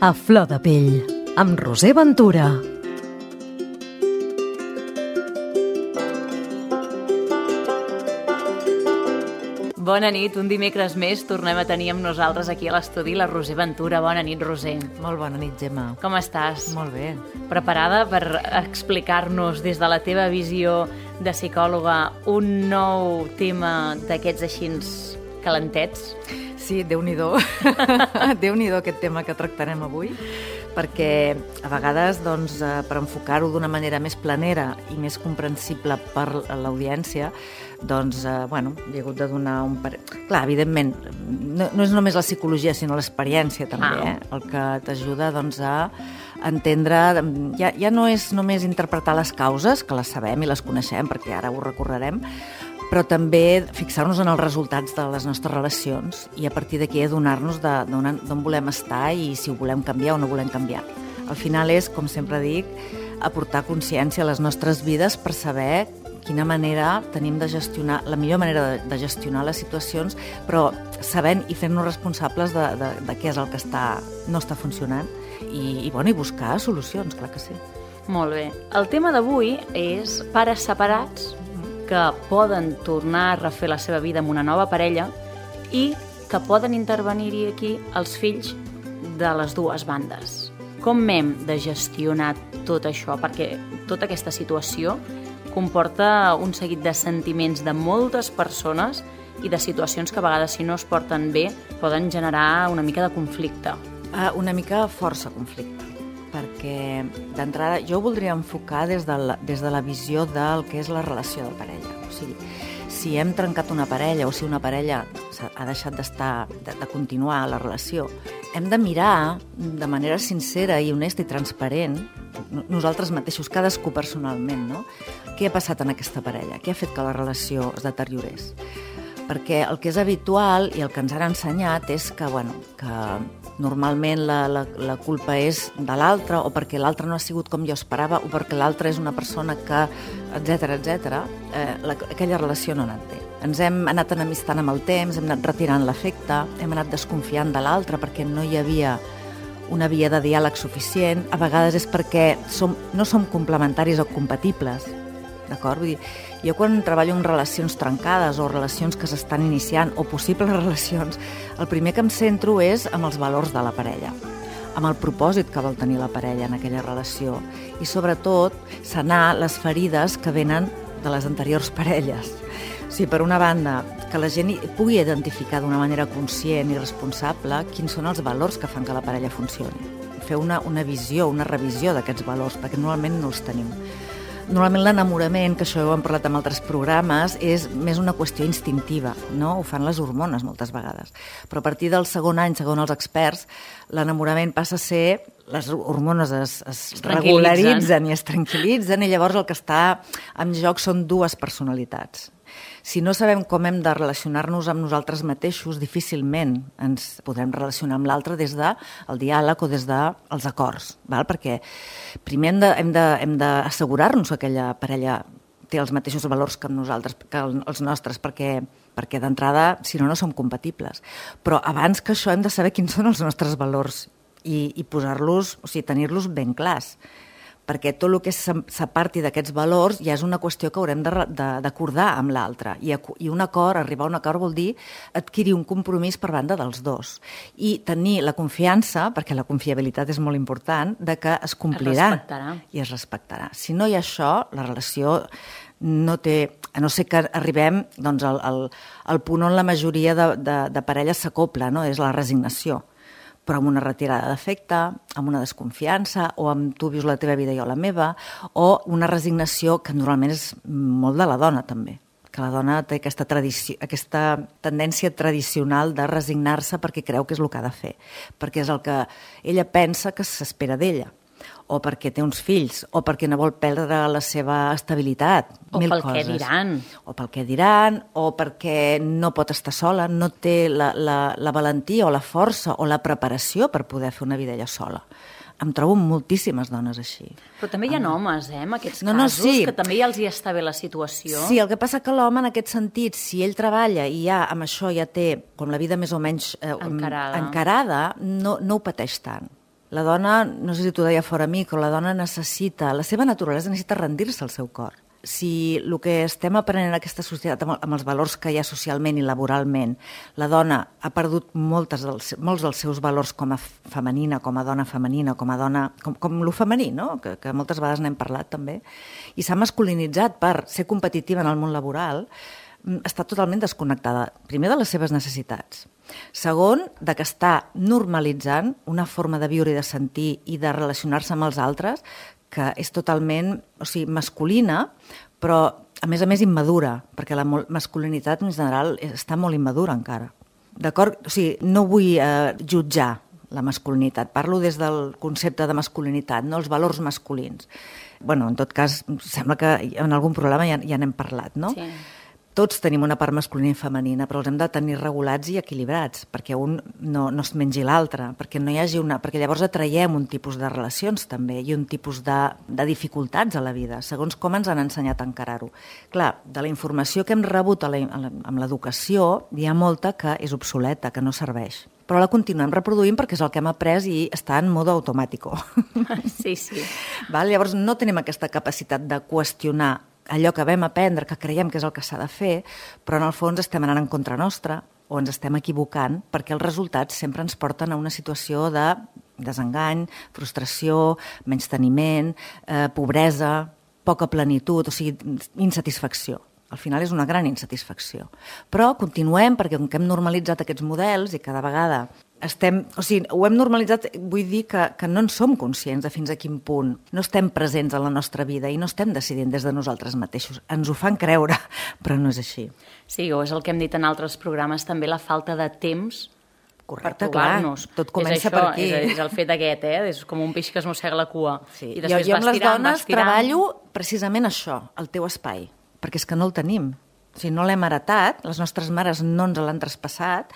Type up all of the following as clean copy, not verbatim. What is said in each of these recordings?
A flor de pell, amb Roser Ventura. Bona nit, un dimecres més tornem a tenir amb nosaltres aquí a l'estudi la Roser Ventura. Bona nit, Roser. Molt bona nit, Gemma. Com estàs? Molt bé. Preparada per explicar-nos des de la teva visió de psicòloga un nou tema d'aquests així calentets? Sí, Déu-n'hi-do. Déu-n'hi-do aquest tema que tractarem avui, perquè a vegades, doncs, per enfocar-ho d'una manera més planera i més comprensible per l'audiència, doncs, bueno, he hagut de donar un... Clar, evidentment, no és només la psicologia, sinó l'experiència també, el que t'ajuda, doncs, a entendre... Ja no és només interpretar les causes, que les sabem i les coneixem, perquè ara ho recorrerem, però també fixar-nos en els resultats de les nostres relacions i a partir d'aquí adonar-nos d'on volem estar i si ho volem canviar o no volem canviar. Al final és, com sempre dic, aportar consciència a les nostres vides per saber quina manera tenim de gestionar, la millor manera de gestionar les situacions, però sabent i fent-nos responsables de què és el que no està funcionant i buscar solucions, clar que sí. Molt bé. El tema d'avui és pares separats que poden tornar a refer la seva vida amb una nova parella i que poden intervenir-hi aquí els fills de les dues bandes. Com hem de gestionar tot això? Perquè tota aquesta situació comporta un seguit de sentiments de moltes persones i de situacions que a vegades, si no es porten bé, poden generar una mica de conflicte. Una mica força conflicte, perquè d'entrada jo ho voldria enfocar des de la visió del que és la relació de parella. O sigui, si hem trencat una parella o si una parella ha deixat de continuar la relació, hem de mirar de manera sincera i honesta i transparent, nosaltres mateixos, cadascú personalment, no? Què ha passat en aquesta parella? Què ha fet que la relació es deteriorés? Perquè el que és habitual i el que ens han ensenyat és que normalment la culpa és de l'altre o perquè l'altre no ha sigut com jo esperava o perquè l'altre és una persona que, etc. Aquella relació no ha anat bé. Ens hem anat enemistant amb el temps, hem anat retirant l'afecte, hem anat desconfiant de l'altre perquè no hi havia una via de diàleg suficient. A vegades és perquè no som complementaris o compatibles. D'acord? Vull dir, jo quan treballo en relacions trencades o relacions que s'estan iniciant o possibles relacions, el primer que em centro és amb els valors de la parella, amb el propòsit que vol tenir la parella en aquella relació i sobretot sanar les ferides que venen de les anteriors parelles. O sigui, per una banda, que la gent pugui identificar d'una manera conscient i responsable quins són els valors que fan que la parella funcioni. Fer una visió, una revisió d'aquests valors, perquè normalment no els tenim. Normalment l'enamorament, que això ho hem parlat en altres programes, és més una qüestió instintiva, no? Ho fan les hormones moltes vegades. Però a partir del segon any, segons els experts, l'enamorament passa a ser... Les hormones es regularitzen i es tranquil·litzen i llavors el que està en joc són dues personalitats. Si no sabem com hem de relacionar-nos amb nosaltres mateixos, difícilment ens podem relacionar amb l'altre des del diàleg o des dels acords, val? Perquè primer hem d'assegurar-nos que aquella parella té els mateixos valors que nosaltres, que els nostres, perquè d'entrada, si no, no som compatibles. Però abans que això hem de saber quins són els nostres valors i posar-los, o sigui, tenir-los ben clars. Perquè tot el que s'aparti d'aquests valors ja és una qüestió que haurem d'acordar amb l'altre. I un acord, arribar a un acord vol dir adquirir un compromís per banda dels dos. I tenir la confiança, perquè la confiabilitat és molt important, de que es complirà i es respectarà. Si no hi ha això, la relació no té... A no ser que arribem doncs, al punt on la majoria de parelles s'acopla, no? És la resignació. Però amb una retirada d'afecte, amb una desconfiança, o amb tu vius la teva vida i jo la meva, o una resignació que normalment és molt de la dona, també. Que la dona té aquesta tendència tradicional de resignar-se perquè creu que és el que ha de fer, perquè és el que ella pensa que s'espera d'ella, o perquè té uns fills, o perquè no vol perdre la seva estabilitat. O pel què diran. O pel què diran, o perquè no pot estar sola, no té la valentia o la força o la preparació per poder fer una vida ella sola. Em trobo moltíssimes dones així. Però també hi ha homes, en aquests casos, que també ja els hi està bé la situació. Sí, el que passa que l'home, en aquest sentit, si ell treballa i ja amb això ja té com la vida més o menys encarada, no ho pateix tant. La dona, no sé si t'ho deia fora a mi, però la dona necessita, la seva naturalesa necessita rendir-se al seu cor. Si el que estem aprenent en aquesta societat amb els valors que hi ha socialment i laboralment, la dona ha perdut molts dels seus valors com a femenina, com a dona femenina, com a dona, com lo femení, no? que moltes vegades n'hem parlat també, i s'ha masculinitzat per ser competitiva en el món laboral, està totalment desconnectada, primer de les seves necessitats. Segon, de que està normalitzant una forma de viure i de sentir i de relacionar-se amb els altres que és totalment, masculina, però a més immadura, perquè la masculinitat en general està molt immadura encara. D'acord? O sigui, no vull jutjar la masculinitat, parlo des del concepte de masculinitat, no els valors masculins. Bueno, en tot cas, sembla que en algun programa ja n'hem parlat, no? Sí. Tots tenim una part masculina i femenina, però els hem de tenir regulats i equilibrats, perquè un no es mengi l'altre, perquè no hi hagi perquè llavors atraiem un tipus de relacions també i un tipus de dificultats a la vida, segons com ens han ensenyat a encarar-ho. Clar, de la informació que hem rebut amb l'educació, hi ha molta que és obsoleta, que no serveix. Però la continuem reproduint perquè és el que hem après i està en modo automàtico. Sí, sí. Llavors no tenim aquesta capacitat de qüestionar allò que vam aprendre, que creiem que és el que s'ha de fer, però en el fons estem anant en contra nostra o ens estem equivocant perquè els resultats sempre ens porten a una situació de desengany, frustració, menysteniment, pobresa, poca plenitud, o sigui, insatisfacció. Al final és una gran insatisfacció. Però continuem perquè com que hem normalitzat aquests models i cada vegada ho hem normalitzat, vull dir que no en som conscients de fins a quin punt. No estem presents en la nostra vida i no estem decidint des de nosaltres mateixos. Ens ho fan creure, però no és així. Sí, o és el que hem dit en altres programes, també la falta de temps. Correcte, per trobar-nos. Clar, tot comença per aquí. És el fet aquest, és com un peix que es mossega la cua. Sí. I jo amb les dones treballo precisament això, el teu espai, perquè és que no el tenim. O sigui, no l'hem heretat, les nostres mares no ens l'han traspassat,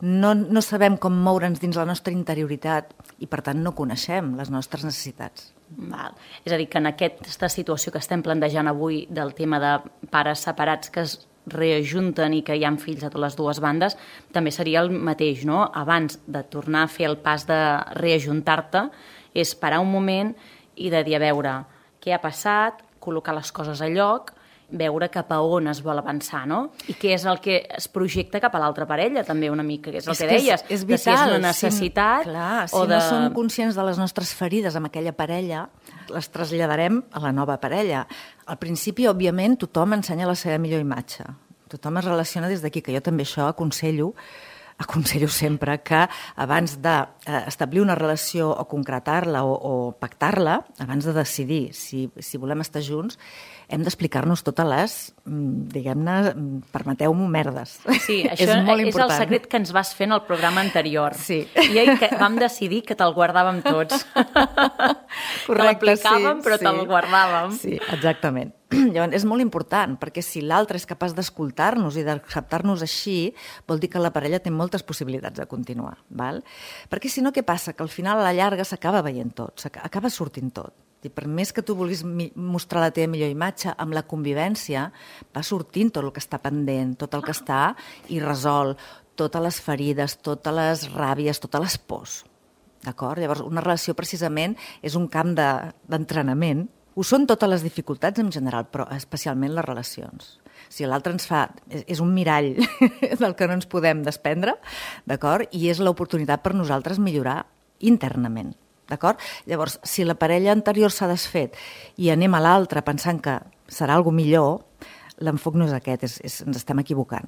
no sabem com moure'ns dins la nostra interioritat i, per tant, no coneixem les nostres necessitats. Val. És a dir, que en aquesta situació que estem plantejant avui del tema de pares separats que es reajunten i que hi ha fills a totes les dues bandes, també seria el mateix, no? Abans de tornar a fer el pas de reajuntar-te, és parar un moment i de dir, a veure, què ha passat, col·locar les coses a lloc, veure cap a on es vol avançar, no? I què és el que es projecta cap a l'altra parella, també una mica, que és el que deies. És vital. Si és una necessitat... Si no som conscients de les nostres ferides amb aquella parella, les traslladarem a la nova parella. Al principi, òbviament, tothom ensenya la seva millor imatge. Tothom es relaciona des d'aquí, que jo també això aconsello sempre que abans d'establir una relació o concretar-la o pactar-la, abans de decidir si volem estar junts, hem d'explicar-nos totes les, diguem-ne, permeteu-m'ho, merdes. Sí, això és el secret que ens vas fer en el programa anterior. Sí. I que vam decidir que te'l guardàvem tots. Correcte, te l'aplicàvem, però te'l guardàvem. Sí, exactament. Llavors, és molt important, perquè si l'altre és capaç d'escoltar-nos i d'acceptar-nos així, vol dir que la parella té moltes possibilitats de continuar. Val? Perquè si no, què passa? Que al final, a la llarga, s'acaba veient tot, acaba sortint tot. I per més que tu vulguis mostrar la teva millor imatge, amb la convivència va sortint tot el que està pendent, tot el que està irresolt, totes les ferides, totes les ràbies, totes les pors. D'acord? Llavors, una relació precisament és un camp d'entrenament. Ho són totes les dificultats en general, però especialment les relacions. Si l'altre ens fa... És un mirall del que no ens podem desprendre, d'acord? I és l'oportunitat per nosaltres millorar internament. D'acord? Llavors, si la parella anterior s'ha desfet i anem a l'altra pensant que serà alguna millor, l'enfoc no és aquest, ens estem equivocant.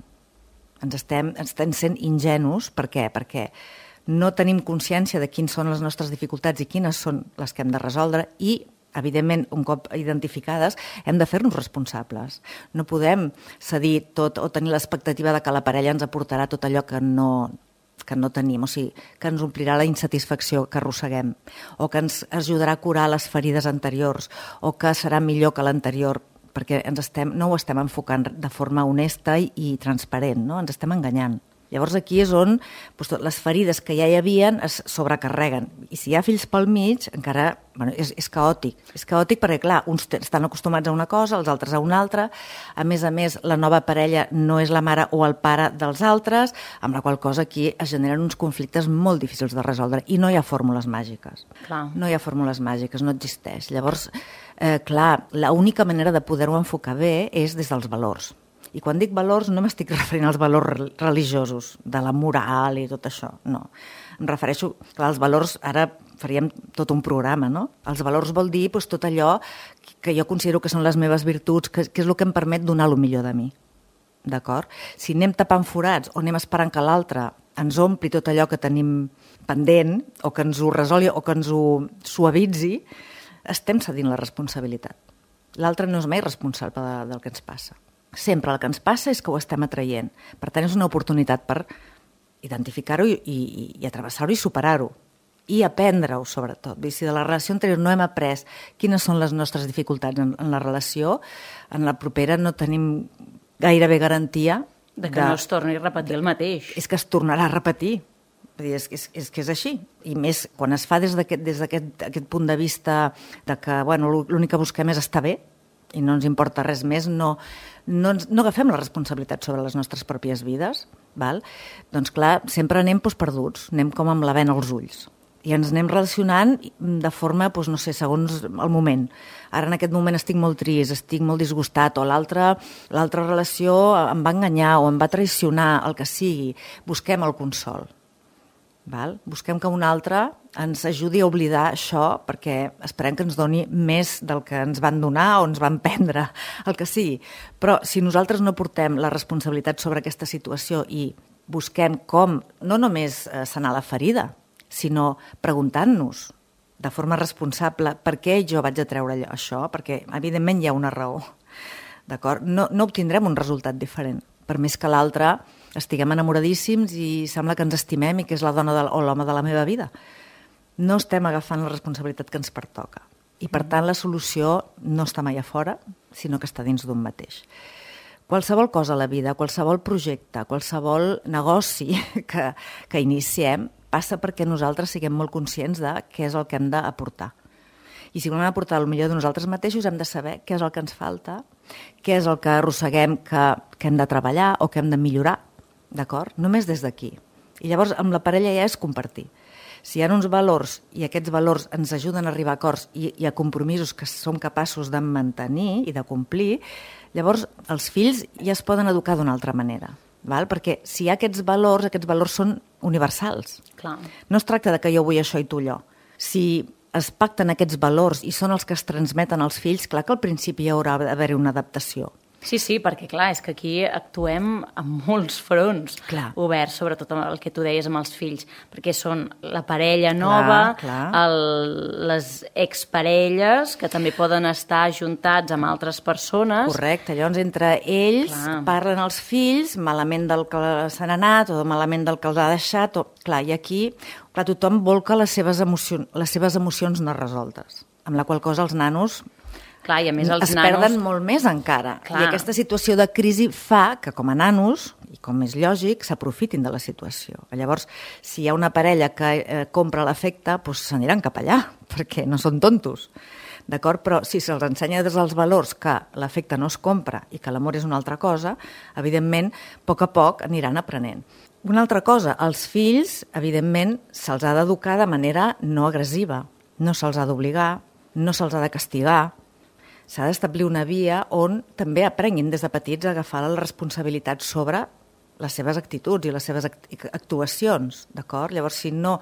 Ens estem sent ingenus. Per què? Perquè no tenim consciència de quines són les nostres dificultats i quines són les que hem de resoldre i, evidentment, un cop identificades, hem de fer-nos responsables. No podem cedir tot o tenir l'expectativa de que la parella ens aportarà tot allò que no tenim, o sigui, que ens omplirà la insatisfacció que arrosseguem, o que ens ajudarà a curar les ferides anteriors, o que serà millor que l'anterior, perquè no ho estem enfocant de forma honesta i transparent, no? Ens estem enganyant. Llavors aquí és on les ferides que ja hi havia es sobrecarreguen. I si hi ha fills pel mig, encara és caòtic. És caòtic perquè, clar, uns estan acostumats a una cosa, els altres a una altra. A més, la nova parella no és la mare o el pare dels altres, amb la qual cosa aquí es generen uns conflictes molt difícils de resoldre. I no hi ha fórmules màgiques. Clar. No hi ha fórmules màgiques, no existeix. Llavors, clar, l'única manera de poder-ho enfocar bé és des dels valors. I quan dic valors no m'estic referint als valors religiosos, de la moral i tot això, no. Em refereixo, clar, als valors, ara faríem tot un programa, no? Els valors vol dir tot allò que jo considero que són les meves virtuts, que és el que em permet donar el millor de mi, d'acord? Si anem tapant forats o anem esperant que l'altre ens ompli tot allò que tenim pendent, o que ens ho resolgui o que ens ho suavitzi, estem cedint la responsabilitat. L'altre no és mai responsable del que ens passa. Sempre el que ens passa és que ho estem atraient. Per tant, és una oportunitat per identificar-ho i atravessar-ho i superar-ho. I aprendre-ho, sobretot. Si de la relació anterior no hem après quines són les nostres dificultats en la relació, en la propera no tenim gairebé garantia de que no es torni a repetir el mateix. És que es tornarà a repetir. És que és així. I més, quan es fa des d'aquest punt de vista de que l'únic que busquem és estar bé, i no ens importa res més, no agafem la responsabilitat sobre les nostres pròpies vides, val? Doncs clar, sempre anem perduts, anem com amb la bena als ulls. I ens anem relacionant de forma, no sé, segons el moment. Ara en aquest moment estic molt trist, estic molt disgustat, o l'altra relació em va enganyar o em va traicionar, el que sigui. Busquem el consol. Val? Busquem que un altre ens ajudi a oblidar això perquè esperem que ens doni més del que ens van donar o ens van prendre, el que sigui. Però si nosaltres no portem la responsabilitat sobre aquesta situació i busquem com no només sanar la ferida, sinó preguntant-nos de forma responsable per què jo vaig a treure això, perquè evidentment hi ha una raó. D'acord? No obtindrem un resultat diferent, per més que l'altre estiguem enamoradíssims i sembla que ens estimem i que és la dona o l'home de la meva vida. No estem agafant la responsabilitat que ens pertoca. I, per tant, la solució no està mai a fora, sinó que està dins d'un mateix. Qualsevol cosa a la vida, qualsevol projecte, qualsevol negoci que iniciem passa perquè nosaltres siguem molt conscients de què és el que hem d'aportar. I si volem aportar el millor de nosaltres mateixos hem de saber què és el que ens falta, què és el que arrosseguem que hem de treballar o que hem de millorar. D'acord? Només des d'aquí. I llavors amb la parella ja és compartir. Si hi ha uns valors i aquests valors ens ajuden a arribar a acords i a compromisos que som capaços de mantenir i de complir, llavors els fills ja es poden educar d'una altra manera. Val? Perquè si hi ha aquests valors són universals. Clar. No es tracta de que jo vull això i tu allò. Si es pacten aquests valors i són els que es transmeten als fills, clar que al principi hi haurà d'haver-hi una adaptació. Sí, perquè clar, és que aquí actuem en molts fronts oberts, sobretot amb el que tu deies amb els fills, perquè són la parella nova, les exparelles, que també poden estar ajuntats amb altres persones. Correcte, llavors entre ells parlen els fills malament del que s'han anat o malament del que els ha deixat. I aquí tothom volca les seves emocions no resoltes, amb la qual cosa els nanos i a més els nanos perden molt més encara. I aquesta situació de crisi fa que com a nanos, i com és lògic, s'aprofitin de la situació. Llavors, si hi ha una parella que compra l'afecte, s'aniran cap allà, perquè no són tontos. D'acord? Però si se'ls ensenya des dels valors que l'afecte no es compra i que l'amor és una altra cosa, evidentment, a poc aniran aprenent. Una altra cosa, als fills, evidentment, se'ls ha d'educar de manera no agressiva. No se'ls ha d'obligar, no se'ls ha de castigar. S'ha d'establir una via on també aprenguin des de petits a agafar la responsabilitat sobre les seves actituds i les seves actuacions, d'acord? Llavors, si no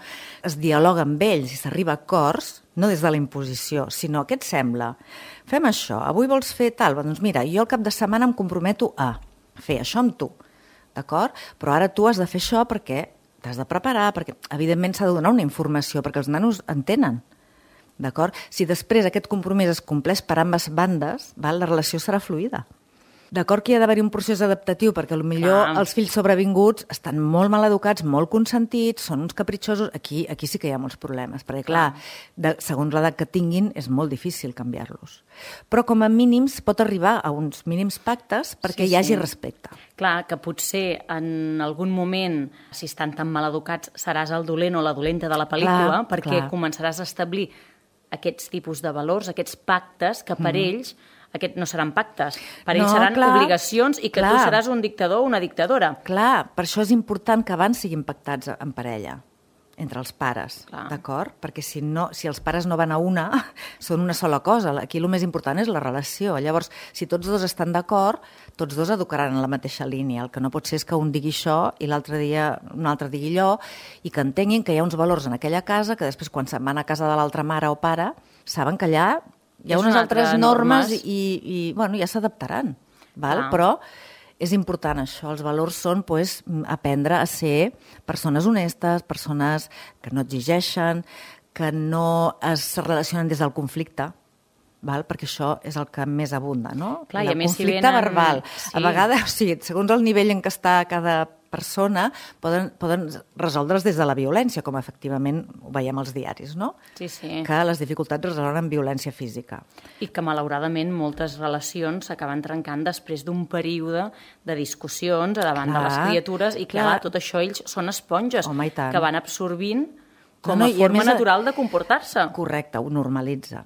es dialoga amb ells i s'arriba a acords, no des de la imposició, sinó què et sembla? Fem això, avui vols fer tal? Doncs mira, jo el cap de setmana em comprometo a fer això amb tu, d'acord? Però ara tu has de fer això perquè t'has de preparar, perquè evidentment s'ha de donar una informació, perquè els nanos entenen. D'acord? Si després aquest compromís es compleix per ambes bandes, la relació serà fluida. D'acord que hi ha d'haver un procés adaptatiu, perquè potser els fills sobrevinguts estan molt mal educats, molt consentits, són uns capritxosos. Aquí sí que hi ha molts problemes, perquè clar, segons l'edat que tinguin és molt difícil canviar-los. Però com a mínims pot arribar a uns mínims pactes perquè hi hagi respecte. Clar, que potser en algun moment, si estan tan mal educats, seràs el dolent o la dolenta de la pel·lícula, perquè començaràs a establir aquests tipus de valors, aquests pactes que per ells no seran pactes, per ells seran obligacions i que tu seràs un dictador o una dictadora. Clar, per això és important que abans siguin pactats en parella, entre els pares, d'acord? Perquè si els pares no van a una, són una sola cosa. Aquí el més important és la relació. Llavors, si tots dos estan d'acord, tots dos educaran en la mateixa línia. El que no pot ser és que un digui això i l'altre dia un altre digui allò, i que entenguin que hi ha uns valors en aquella casa que després, quan se'n van a casa de l'altra mare o pare, saben que allà hi ha unes altres normes i ja s'adaptaran. Però és important això. Els valors són aprendre a ser persones honestes, persones que no exigeixen, que no es relacionen des del conflicte, perquè això és el que més abunda, no? Clar, el conflicte verbal. A vegades, segons el nivell en què està cada persona, poden resoldre's des de la violència, com efectivament ho veiem als diaris, no? Sí. Que les dificultats es resolen amb violència física. I que, malauradament, moltes relacions s'acaben trencant després d'un període de discussions davant de les criatures i, clar, tot això ells són esponges que van absorbint com a forma natural de comportar-se. Correcte, ho normalitza.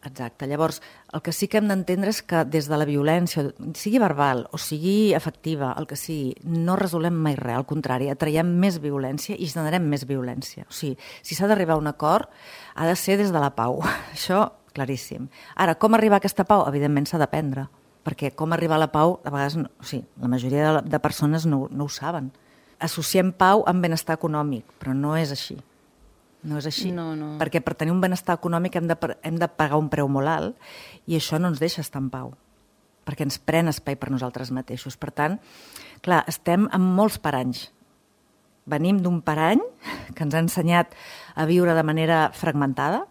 Exacte. Llavors, el que sí que hem d'entendre és que des de la violència, sigui verbal o sigui afectiva, el que sigui, no resolem mai res. Al contrari, atraiem més violència i generem més violència. O sigui, si s'ha d'arribar a un acord, ha de ser des de la pau. Això, claríssim. Ara, com arribar a aquesta pau? Evidentment s'ha d'aprendre. Perquè com arribar a la pau, a vegades, la majoria de persones no ho saben. Associem pau amb benestar econòmic, però no és així. No és així, perquè per tenir un benestar econòmic hem de pagar un preu molt alt i això no ens deixa estar en pau, perquè ens pren espai per nosaltres mateixos. Per tant, clar, estem amb molts paranys. Venim d'un parany que ens ha ensenyat a viure de manera fragmentada,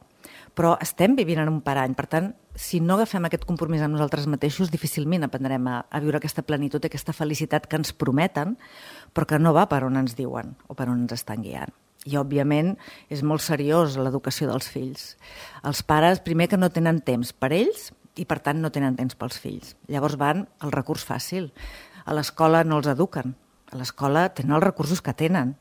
però estem vivint en un parany. Per tant, si no agafem aquest compromís amb nosaltres mateixos, difícilment aprendrem a viure aquesta plenitud i aquesta felicitat que ens prometen, però que no va per on ens diuen o per on ens estan guiant. I, òbviament, és molt seriós l'educació dels fills. Els pares, primer, que no tenen temps per ells i, per tant, no tenen temps pels fills. Llavors van al recurs fàcil. A l'escola no els eduquen. A l'escola tenen els recursos que tenen.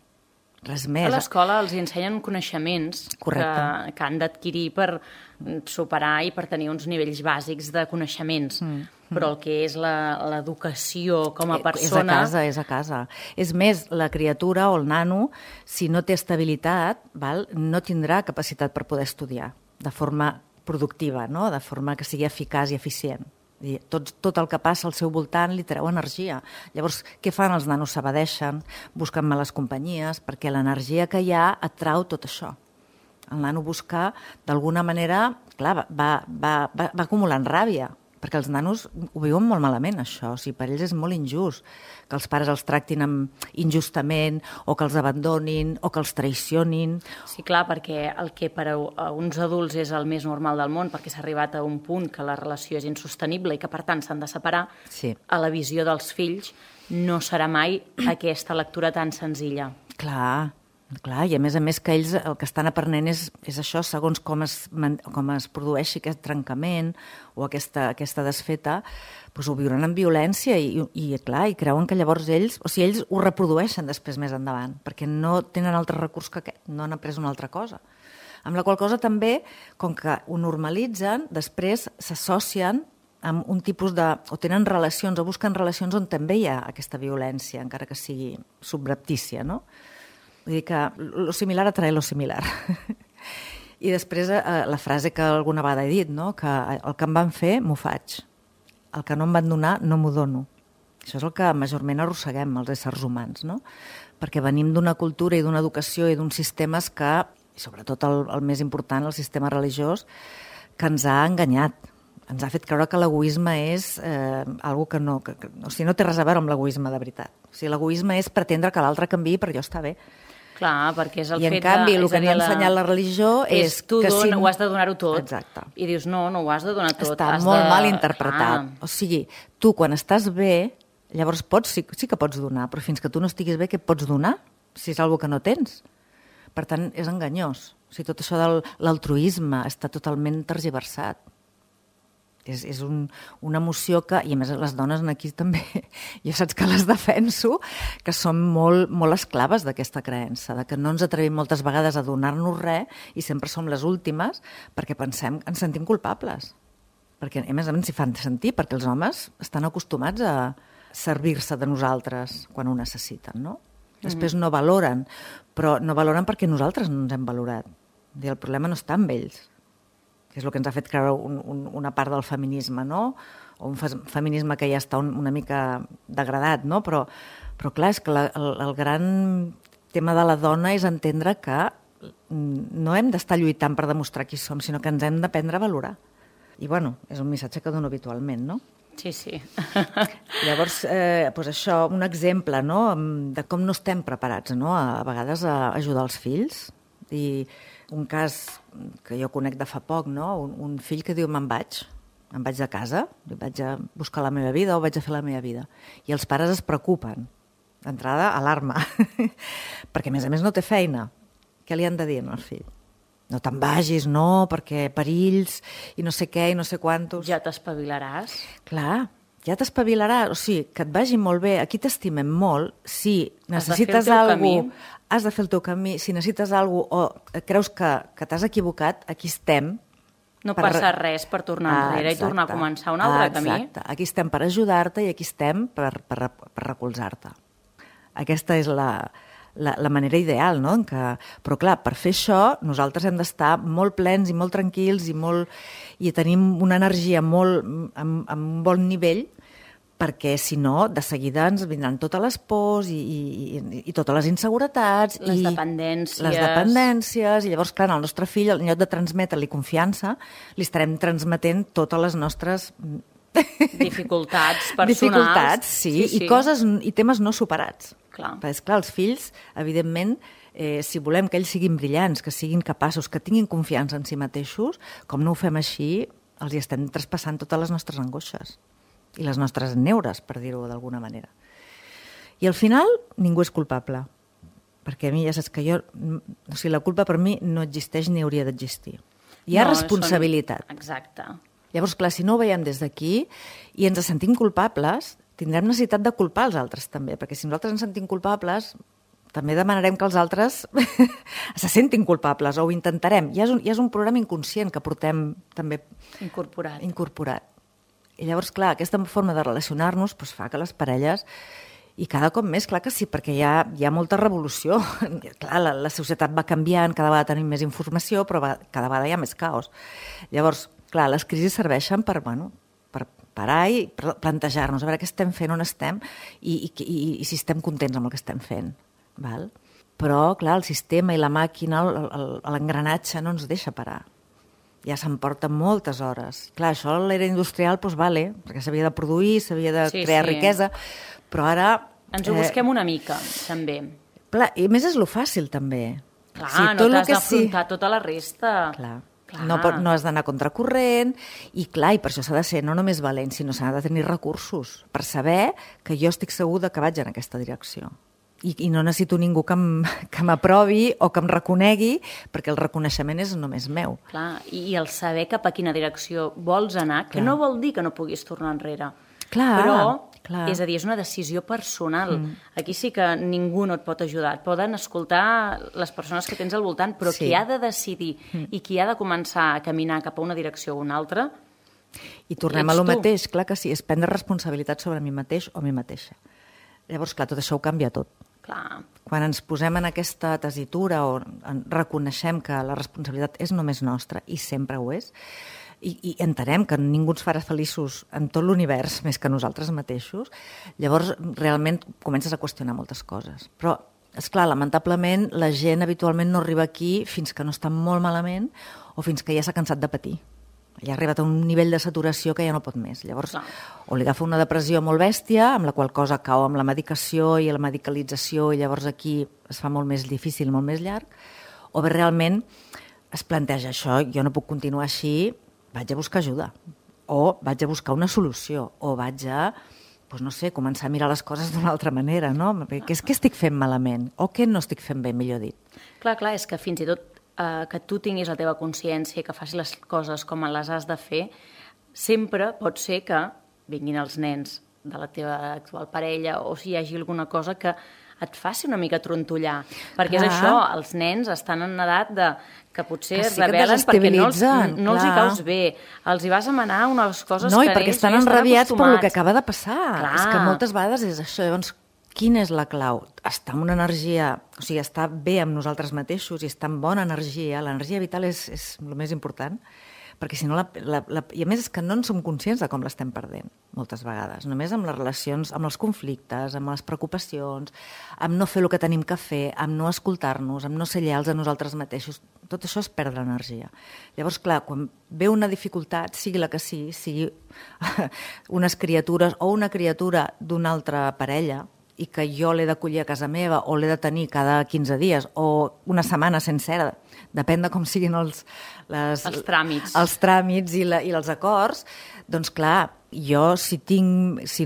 Res més. A l'escola els ensenyen coneixements que han d'adquirir per superar i per tenir uns nivells bàsics de coneixements. Però el que és l'educació com a persona... És a casa. És més, la criatura o el nano, si no té estabilitat, no tindrà capacitat per poder estudiar de forma productiva, no? De forma que sigui eficaç i eficient. Tot el que passa al seu voltant li treu energia. Llavors, què fan els nanos? S'evadeixen, busquen males companyies, perquè l'energia que hi ha atrau tot això. El nano busca, d'alguna manera, clar, va acumulant ràbia, perquè els nanos ho viuen molt malament, això. O sigui, per ells és molt injust que els pares els tractin injustament o que els abandonin o que els traicionin. Sí, clar, perquè el que per a uns adults és el més normal del món, perquè s'ha arribat a un punt que la relació és insostenible i que, per tant, s'han de separar, a la visió dels fills no serà mai aquesta lectura tan senzilla. Clar, i a més que ells el que estan aprenent és això, segons com es produeixi aquest trencament o aquesta desfeta, doncs ho viuran amb violència i creuen que llavors ells ho reprodueixen després més endavant, perquè no tenen altre recurs que aquest, no han après una altra cosa. Amb la qual cosa també, com que ho normalitzen, després s'associen amb un tipus o tenen relacions o busquen relacions on també hi ha aquesta violència, encara que sigui subreptícia, no? Vull dir que lo similar atrae lo similar. I després la frase que alguna vegada he dit, no? Que el que em van fer, m'ho faig. El que no em van donar, no m'ho dono. Això és el que majorment arrosseguem els éssers humans, no? Perquè venim d'una cultura i d'una educació i d'uns sistemes que, i sobretot el més important, el sistema religiós, que ens ha enganyat. Ens ha fet creure que l'egoisme és algo que no té res a veure amb l'egoisme de veritat. O sigui, l'egoisme és pretendre que l'altre canviï per jo estar bé. Clar, perquè és el I en fet canvi, de... el que ens ha ensenyat la religió és tu que si... ho has de donar-ho tot. Exacte. I dius, no ho has de donar tot. Està has molt de... mal interpretat. Clar. O sigui, tu quan estàs bé, llavors sí que pots donar, però fins que tu no estiguis bé, què pots donar? Si és una cosa que no tens. Per tant, és enganyós. O sigui, tot això de l'altruisme està totalment tergiversat. És una emoció que, i a més les dones aquí també, jo saps que les defenso, que som molt, molt esclaves d'aquesta creença, de que no ens atrevim moltes vegades a donar-nos res i sempre som les últimes perquè pensem, ens sentim culpables. Perquè a més s'hi fan sentir, perquè els homes estan acostumats a servir-se de nosaltres quan ho necessiten, no? Després no valoren, però no valoren perquè nosaltres no ens hem valorat. El problema no està amb ells, que és el que ens ha fet creure una part del feminisme, no? O un feminisme que ja està una mica degradat, no? Però clar, és que el gran tema de la dona és entendre que no hem d'estar lluitant per demostrar qui som, sinó que ens hem d'aprendre a valorar. I, bueno, és un missatge que dono habitualment, no? Sí, sí. Llavors, doncs això, un exemple, no?, de com no estem preparats, no?, a vegades a ajudar els fills. I un cas que jo conec de fa poc, no?, un fill que diu em vaig de casa, vaig a buscar la meva vida o vaig a fer la meva vida. I els pares es preocupen. D'entrada, alarma. Perquè, a més no té feina. Què li han de dir al fill? No te'n vagis, no, perquè perills i no sé què i no sé quantos. Ja t'espavilaràs. Clar, ja t'espavilaràs. O sigui, que et vagi molt bé, aquí t'estimem molt, si necessites alguna cosa, has de fer el teu camí, si necessites alguna cosa o creus que t'has equivocat, aquí estem. No passa res per tornar enrere i tornar a començar un altre camí. Exacte, aquí estem per ajudar-te i aquí estem per recolzar-te. Aquesta és la manera ideal, no? Però clar, per fer això nosaltres hem d'estar molt plens i molt tranquils i tenim una energia amb un bon nivell, perquè si no, de seguida ens vindran totes les pors i totes les inseguretats. Les dependències. Les dependències, i llavors, clar, al nostre fill, en lloc de transmetre-li confiança, li estarem transmetent totes les nostres dificultats personals. Dificultats, sí, i coses i temes no superats. Clar. Perquè, esclar, els fills, evidentment, si volem que ells siguin brillants, que siguin capaços, que tinguin confiança en si mateixos, com no ho fem així, els hi estem traspassant totes les nostres angoixes i les nostres neures, per dir-ho d'alguna manera. I al final, ningú és culpable. Perquè a mi ja saps que o sigui, la culpa per mi no existeix ni hauria d'existir. Hi ha responsabilitat. Exacte. Llavors, clar, si no ho veiem des d'aquí i ens sentim culpables, tindrem necessitat de culpar els altres també, perquè si nosaltres ens sentim culpables, també demanarem que els altres se sentin culpables, o ho intentarem. Ja és un programa inconscient que portem també incorporat. I llavors, clar, aquesta forma de relacionar-nos fa que les parelles, i cada cop més, clar que sí, perquè hi ha molta revolució. Clar, la societat va canviant, cada vegada tenim més informació, però cada vegada hi ha més caos. Llavors, clar, les crisis serveixen per parar i plantejar-nos a veure què estem fent, on estem i si estem contents amb el que estem fent. Val? Però, clar, el sistema i la màquina, l'engranatge no ens deixa parar. Ja s'emporta moltes hores. Clar, això a l'era industrial, doncs vale, perquè s'havia de produir, s'havia de crear riquesa, però ara... Ens ho busquem una mica, també. Clar, i a més és lo fàcil, també. Clar, no t'has d'afrontar tota la resta. Clar. No has d'anar contracorrent i clar, i per això s'ha de ser no només valent, sinó s'ha de tenir recursos per saber que jo estic segur que vaig en aquesta direcció. I no necessito ningú que m'aprovi o que em reconegui, perquè el reconeixement és només meu. Clar, i el saber cap a quina direcció vols anar, que no vol dir que no puguis tornar enrere. Però, és a dir, és una decisió personal. Aquí sí que ningú no et pot ajudar. Et poden escoltar les persones que tens al voltant, però qui ha de decidir i qui ha de començar a caminar cap a una direcció o una altra, i tornem a lo mateix, clar que sí, és prendre responsabilitat sobre mi mateix o mi mateixa. Llavors, clar, tot això ho canvia tot. Clar. Quan ens posem en aquesta tessitura o reconeixem que la responsabilitat és només nostra, i sempre ho és, i entenem que ningú ens farà feliços en tot l'univers més que nosaltres mateixos, llavors realment comences a qüestionar moltes coses. Però, esclar, lamentablement, la gent habitualment no arriba aquí fins que no està molt malament o fins que ja s'ha cansat de patir. Ja ha arribat a un nivell de saturació que ja no pot més. Llavors, o li agafa una depressió molt bèstia, amb la qual cosa cau amb la medicació i la medicalització, i llavors aquí es fa molt més difícil, molt més llarg, o bé realment es planteja això, jo no puc continuar així, vaig a buscar ajuda, o vaig a buscar una solució, o vaig a, doncs no sé, començar a mirar les coses d'una altra manera, no? Què estic fent malament? O què no estic fent bé, millor dit? Clar, és que fins i tot que tu tinguis la teva consciència, que facis les coses com les has de fer, sempre pot ser que vinguin els nens de la teva actual parella o si hi hagi alguna cosa que et faci una mica trontollar. Perquè és això, els nens estan en edat que potser es rebel·len perquè no els hi caus bé. Els hi vas a manar unes coses que ells ja estan acostumats. No, i perquè estan enrabiats per el que acaba de passar. És que moltes vegades és això. Llavors, quina és la clau? Estar amb una energia, o sigui, estar bé amb nosaltres mateixos i estar amb bona energia. L'energia vital és el més important, perquè si no, i a més és que no en som conscients de com l'estem perdent, moltes vegades. Només amb les relacions, amb els conflictes, amb les preocupacions, amb no fer el que tenim que fer, amb no escoltar-nos, amb no ser lleials a nosaltres mateixos. Tot això és perdre energia. Llavors, clar, quan ve una dificultat, sigui la que sigui unes criatures o una criatura d'una altra parella, i que jo l'he d'acollir a casa meva o l'he de tenir cada 15 dies o una setmana sencera, depèn de com siguin els tràmits i els acords, doncs clar, jo si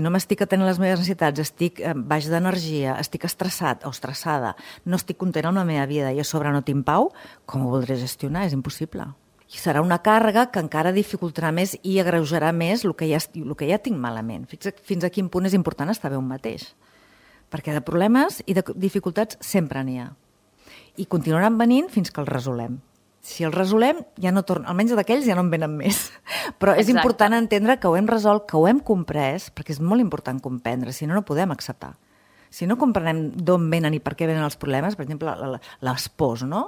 no m'estic atenent les meves necessitats, estic baix d'energia, estic estressat o estressada, no estic content amb la meva vida i a sobre no tinc pau, com ho voldré gestionar? És impossible. I serà una càrrega que encara dificultarà més i agreujarà més el que ja tinc malament. Fins a quin punt és important estar bé un mateix. Perquè de problemes i de dificultats sempre n'hi ha. I continuaran venint fins que els resolem. Si els resolem, ja no tornen, almenys d'aquells ja no en venen més. Però és important entendre que ho hem resolt, que ho hem comprès, perquè és molt important comprendre, si no, no podem acceptar. Si no comprenem d'on venen i per què venen els problemes, per exemple, les pors, no?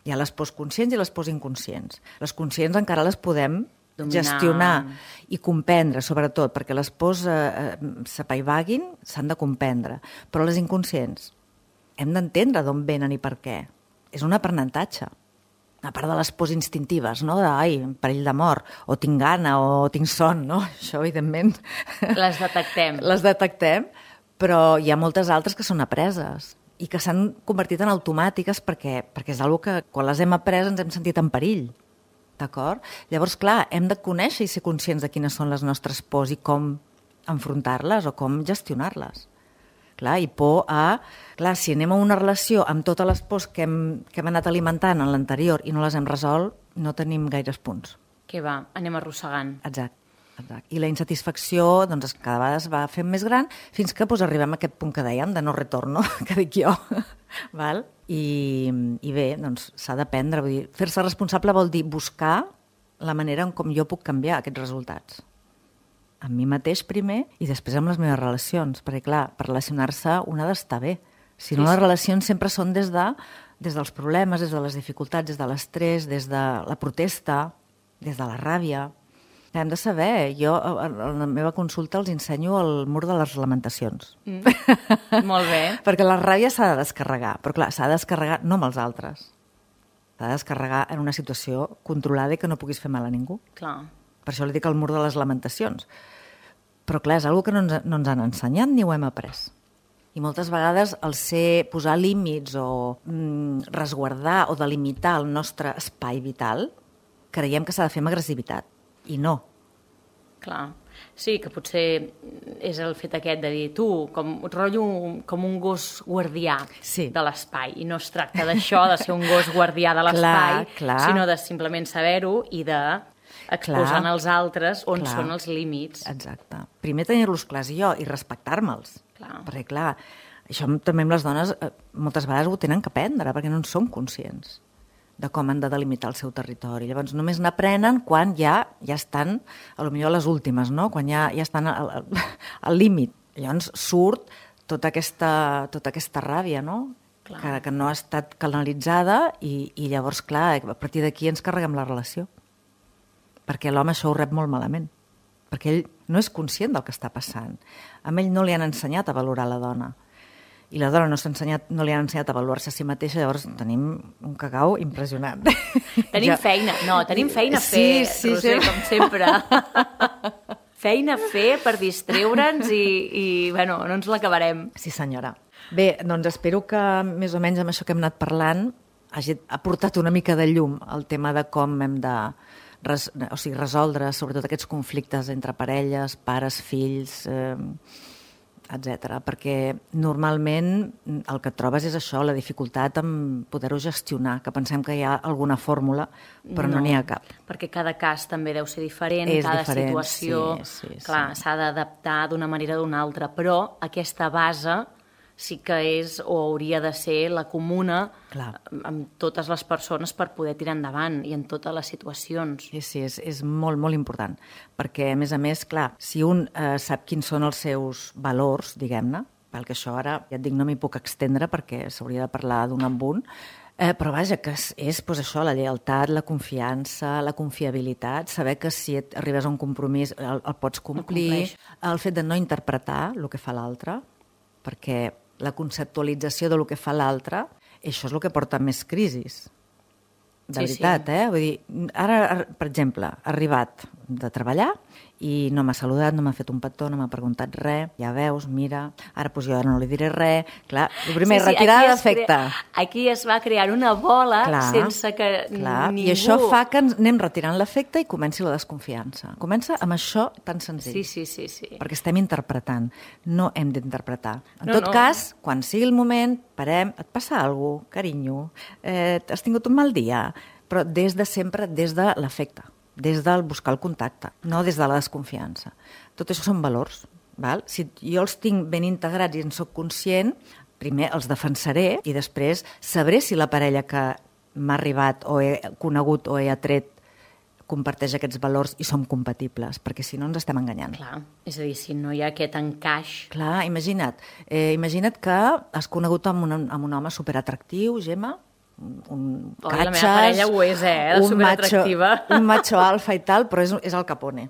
Hi ha les pors conscients i les pors inconscients. Les conscients encara les podem gestionar i comprendre, sobretot, perquè les pors s'apaivaguin, s'han de comprendre. Però les inconscients hem d'entendre d'on venen i per què. És un aprenentatge. A part de les pors instintives, no? Perill de mort, o tinc gana, o tinc son, no? Això, evidentment... Les detectem. Les detectem, però hi ha moltes altres que són apreses i que s'han convertit en automàtiques perquè és una que, quan les hem après, ens hem sentit en perill. D'acord? Llavors, clar, hem de conèixer i ser conscients de quines són les nostres pors i com enfrontar-les o com gestionar-les. Clar, i por a... Clar, si anem a una relació amb totes les pors que hem anat alimentant en l'anterior i no les hem resolt, no tenim gaires punts. Què va? Anem arrossegant. Exacte. I la insatisfacció doncs, cada vegada es va fent més gran fins que arribem a aquest punt que dèiem de no retorno, que dic jo. Val? I bé, doncs s'ha d'aprendre. Fer-se responsable vol dir buscar la manera en com jo puc canviar aquests resultats. Amb mi mateix primer i després amb les meves relacions. Perquè, clar, per relacionar-se un ha d'estar bé. Si no, les relacions sempre són des dels problemes, des de les dificultats, des de l'estrès, des de la protesta, des de la ràbia. Hem de saber, jo a la meva consulta els ensenyo el mur de les lamentacions. Molt bé. Perquè la ràbia s'ha de descarregar, però clar, s'ha de descarregar no amb els altres. S'ha de descarregar en una situació controlada i que no puguis fer mal a ningú. Clar. Per això li dic el mur de les lamentacions. Però clar, és una cosa que no ens han ensenyat ni ho hem après. I moltes vegades el posar límits o resguardar o delimitar el nostre espai vital, creiem que s'ha de fer amb agressivitat. I no. Clar. Sí, que potser és el fet aquest de dir tu, rotllo com un gos guardià de l'espai. I no es tracta d'això, de ser un gos guardià de l'espai, sinó de simplement saber-ho i d'exposar als altres on són els límits. Exacte. Primer tenir-los clars i respectar-me'ls. Perquè, clar, això també amb les dones moltes vegades ho tenen que aprendre, perquè no en som conscients de com han de delimitar el seu territori. Llavors, només n'aprenen quan ja estan, potser a les últimes, no? Quan ja estan al límit. Llavors surt tota aquesta ràbia, no? Que no ha estat canalitzada i llavors, clar, a partir d'aquí ens carreguem la relació. Perquè l'home això ho rep molt malament. Perquè ell no és conscient del que està passant. A ell no li han ensenyat a valorar la dona. i la dona no li han ensenyat a avaluar-se a si mateixa, llavors tenim un cagau impressionant. Tenim feina a fer, Roser, com sempre. Feina a fer per distreure'ns i bueno, no ens l'acabarem. Sí, senyora. Bé, doncs espero que més o menys amb això que hem anat parlant hagi aportat una mica de llum al tema de com hem de resoldre sobretot aquests conflictes entre parelles, pares, fills, etc. Perquè normalment el que et trobes és això, la dificultat en poder-ho gestionar, que pensem que hi ha alguna fórmula, però no n'hi ha cap. Perquè cada cas també deu ser diferent, És cada diferent, situació clar, s'ha d'adaptar d'una manera o d'una altra, però aquesta base sí que és o hauria de ser la comuna amb totes les persones per poder tirar endavant i en totes les situacions. Sí, és molt, molt important, perquè a més, clar, si un sap quins són els seus valors, diguem-ne, perquè això ara, ja et dic, no m'hi puc extendre perquè s'hauria de parlar d'un amb un, però vaja, que és doncs, això, la lleialtat, la confiança, la confiabilitat, saber que si arribes a un compromís el pots complir, el fet de no interpretar el que fa l'altre, perquè la conceptualització del que fa l'altre, això és el que porta més crisis. De veritat, Vull dir, ara, per exemple, ha arribat de treballar i no m'ha saludat, no m'ha fet un petó, no m'ha preguntat res, ja veus, mira, ara doncs jo no li diré res. Clar, el primer, retirada d'afecte. Aquí es va crear una bola sense que ningú... I això fa que anem retirant l'afecte i comenci la desconfiança. Comença amb això tan senzill. Sí. Perquè estem interpretant, no hem d'interpretar. En tot cas, quan sigui el moment, parem, et passa alguna cosa, carinyo, has tingut un mal dia, però des de sempre, des de l'afecte, des del buscar el contacte, no des de la desconfiança. Tot això són valors. Val? Si jo els tinc ben integrats i en soc conscient, primer els defensaré i després sabré si la parella que m'ha arribat o he conegut o he atret comparteix aquests valors i som compatibles, perquè si no ens estem enganyant. Clar, és a dir, si no hi ha aquest encaix... Clar, imagina't que has conegut amb un home superatractiu, Gemma, un catxes... La meva parella ho és, de superatractiva. Un macho alfa i tal, però és el Capone.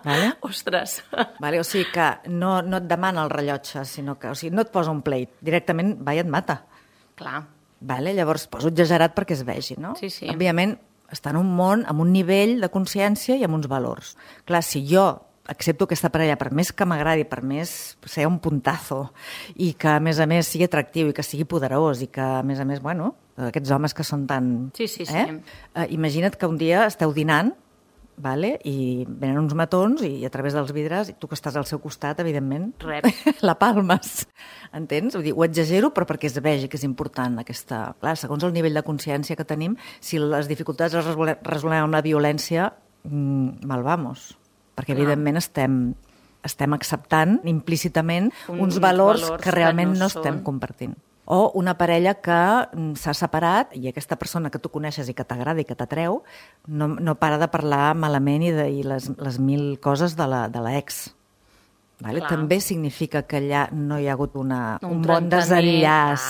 Vale? Ostres. Vale? O sigui que no et demana el rellotge, sinó que no et posa un plate, directament va i et mata. Clar. Vale? Llavors poso exagerat perquè es vegi, no? Sí. Òbviament està en un món amb un nivell de consciència i amb uns valors. Clar, si jo accepto aquesta parella, per més que m'agradi, per més ser un puntazo, i que a més sigui atractiu i que sigui poderós i que a més, bueno, aquests homes que són tan... Sí. Imagina't que un dia esteu dinant, vale? I venen uns matons i a través dels vidres, tu que estàs al seu costat, evidentment, la palmes. Entens? Vull dir, ho exagero, però perquè es vegi que és important aquesta... Clar, segons el nivell de consciència que tenim, si les dificultats les resolem amb la violència, mal vamos. Perquè, evidentment, estem acceptant implícitament uns valors que realment no estem compartint. O una parella que s'ha separat i aquesta persona que tu coneixes i que t'agrada i que t'atreu no para de parlar malament i les mil coses de l'ex. Vale? També significa que allà no hi ha hagut un bon desenllaç.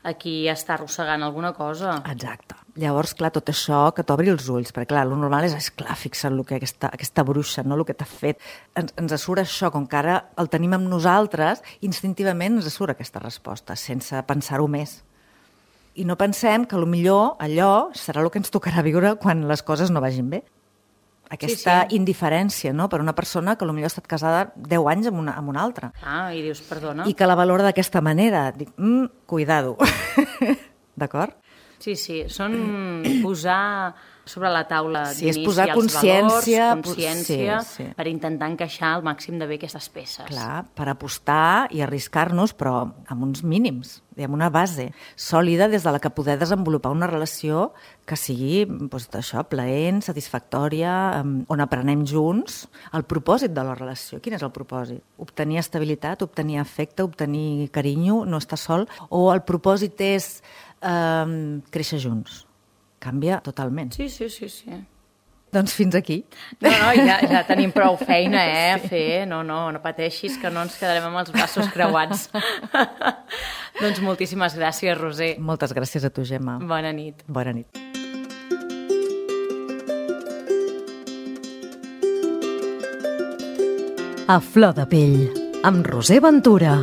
Aquí està arrossegant alguna cosa. Exacte. Llavors, clar, tot això que t'obri els ulls, perquè clar, el normal és clar, fixa't el que aquesta bruixa, no? El que t'ha fet. Ens surt això, com que ara el tenim amb nosaltres, instintivament ens surt aquesta resposta, sense pensar-ho més. I no pensem que potser allò serà el que ens tocarà viure quan les coses no vagin bé. Aquesta indiferència, no?, per una persona que potser ha estat casada 10 anys amb una altra. I dius, perdona. I que la valora d'aquesta manera. Dic, cuidado. D'acord? Sí, són posar sobre la taula d'inici posar els valors, consciència, sí. Per intentar encaixar al màxim de bé aquestes peces. Clar, per apostar i arriscar-nos, però amb uns mínims, amb una base sòlida des de la que poder desenvolupar una relació que sigui això, plaent, satisfactòria, on aprenem junts el propòsit de la relació. Quin és el propòsit? Obtenir estabilitat, obtenir afecte, obtenir carinyo, no estar sol, o el propòsit és créixer junts? Canvia totalment. Sí. Doncs fins aquí. No, ja tenim prou feina, a fer. No pateixis, que no ens quedarem amb els braços creuats. Doncs moltíssimes gràcies, Roser. Moltes gràcies a tu, Gemma. Bona nit. Bona nit. A flor de pell, amb Roser Ventura.